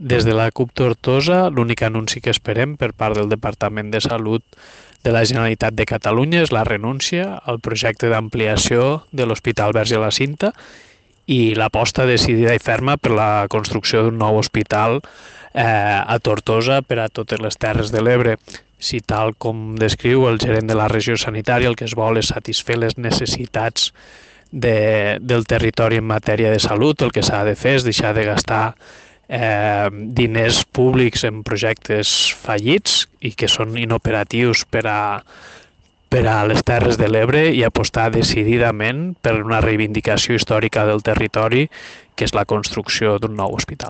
Des de la CUP Tortosa, l'únic anunci que esperem per part del Departament de Salut de la Generalitat de Catalunya és la renúncia al projecte d'ampliació de l'Hospital Verge de la Cinta i l'aposta decidida i ferma per la construcció d'un nou hospital a Tortosa per a totes les Terres de l'Ebre. Si tal com descriu el gerent de la regió sanitària, el que es vol és satisfer les necessitats del territori en matèria de salut, el que s'ha de fer és deixar de gastar diners públics en projectes fallits i que són inoperatius per a les Terres de l'Ebre i apostar decididament per una reivindicació històrica del territori, que és la construcció d'un nou hospital.